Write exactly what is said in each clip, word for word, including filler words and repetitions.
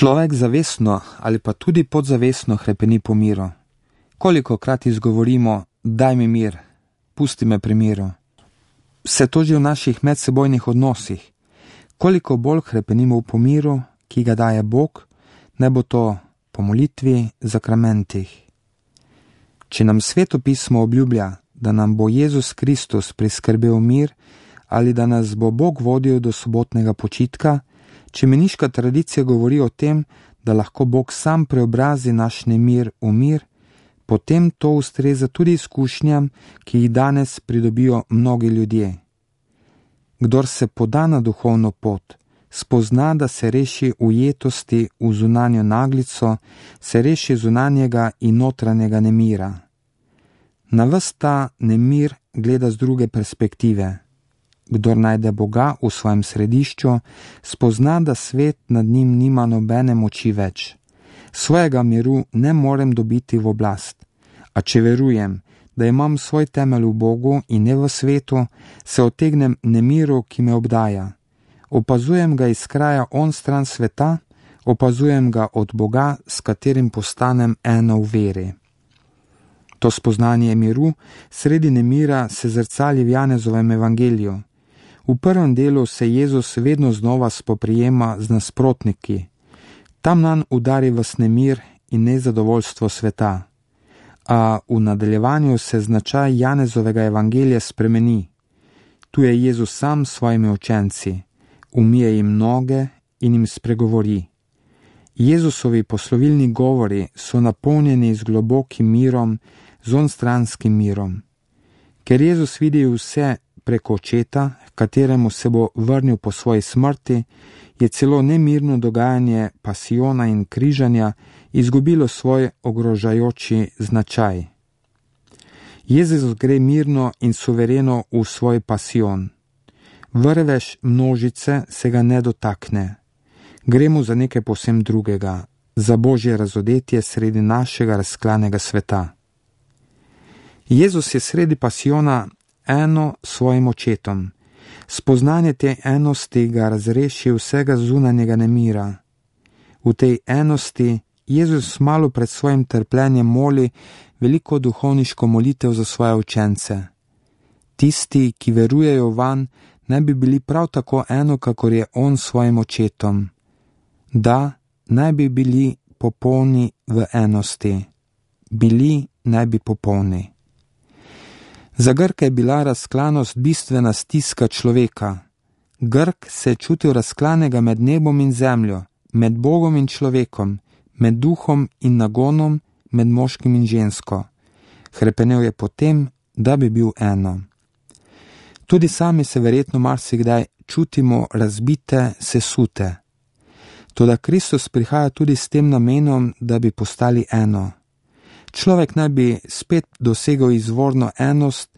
Človek zavestno ali pa tudi podzavestno hrepeni po miru. Kolikokrat izgovorimo, daj mi mir, pusti me pri miru. Se to že v naših medsebojnih odnosih. Koliko bolj hrepenimo po miru, ki ga daje Bog, ne bo to po molitvi, zakramentih. Če nam Sveto pismo obljublja, da nam bo Jezus Kristus priskrbel mir ali da nas bo Bog vodil do sobotnega počitka, če meniška tradicija govori o tem, da lahko Bog sam preobrazi naš nemir v mir, potem to ustreza tudi izkušnjam, ki jih danes pridobijo mnogi ljudje. Kdor se poda na duhovno pot, spozna, da se reši ujetosti v zunanjo naglico, se reši zunanjega in notranjega nemira. Na ves ta nemir gleda z druge perspektive. Kdor najde Boga v svojem središču, spozna, da svet nad njim nima nobene moči več. Svojega miru ne morem dobiti v oblast, a če verujem, da imam svoj temelj v Bogu in ne v svetu, se otegnem nemiru, ki me obdaja. Opazujem ga iz kraja onstran sveta, opazujem ga od Boga, s katerim postanem eno v veri. To spoznanje miru sredi nemira se zrcali v Janezovem evangeliju. V prvem delu se Jezus vedno znova spoprijema z nasprotniki. Tam nanj udari vas nemir in nezadovoljstvo sveta. A v nadaljevanju se značaj Janezovega evangelija spremeni. Tu je Jezus sam s svojimi učenci, umije jim noge in jim spregovori. Jezusovi poslovilni govori so napolnjeni z globokim mirom, z onstranskim mirom. Ker Jezus vidi vse preko očeta, kateremu se bo vrnil po svoji smrti, je celo nemirno dogajanje pasijona in križanja izgubilo svoj ogrožajoči značaj. Jezus gre mirno in suvereno v svoj pasijon. Vrvež množice se ga ne dotakne. Gre mu za nekaj povsem drugega, za Božje razodetje sredi našega razklanega sveta. Jezus je sredi pasijona eno s svojim očetom. Spoznanje te enosti ga razreši vsega zunanjega nemira. V tej enosti Jezus malo pred svojim trpljenjem moli veliko duhovniško molitev za svoje učence. Tisti, ki verujejo vanj, naj bi bili prav tako eno, kakor je on s svojim očetom. Da, naj bi bili popolni v enosti. Bili naj bi popolni. Za Grka je bila razklanost bistvena stiska človeka. Grk se je čutil razklanega med nebom in zemljo, med Bogom in človekom, med duhom in nagonom, med moškim in žensko. Hrepenel je potem, da bi bil eno. Tudi sami se verjetno marsikdaj čutimo razbite, sesute. Toda Kristus prihaja tudi s tem namenom, da bi postali eno. Človek naj bi spet dosegel izvorno enost,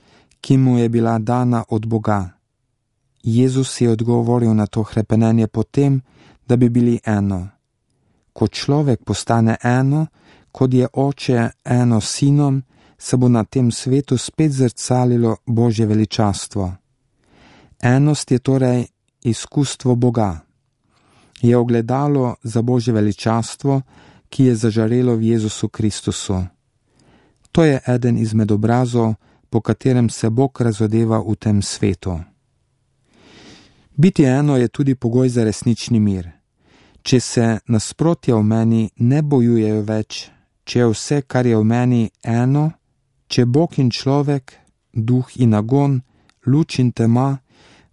ki mu je bila dana od Boga. Jezus je odgovoril na to hrepenenje potem, da bi bili eno. Ko človek postane eno, kot je oče eno s sinom, se bo na tem svetu spet zrcalilo Božje veličastvo. Enost je torej izkustvo Boga. Je ogledalo za Božje veličastvo, ki je zažarelo v Jezusu Kristusu. To je eden izmed obrazov, po katerem se Bog razodeva v tem svetu. Biti eno je tudi pogoj za resnični mir. Če se nasprotja v meni ne bojujejo več, če je vse, kar je v meni, eno, če Bog in človek, duh in nagon, luč in tema,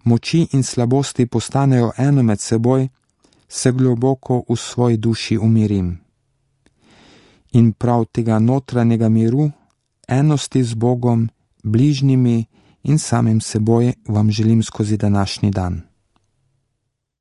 moči in slabosti postanejo eno med seboj, se globoko v svoji duši umirim. In prav tega notranjega miru, enosti z Bogom, bližnjimi in samim seboj vam želim skozi današnji dan.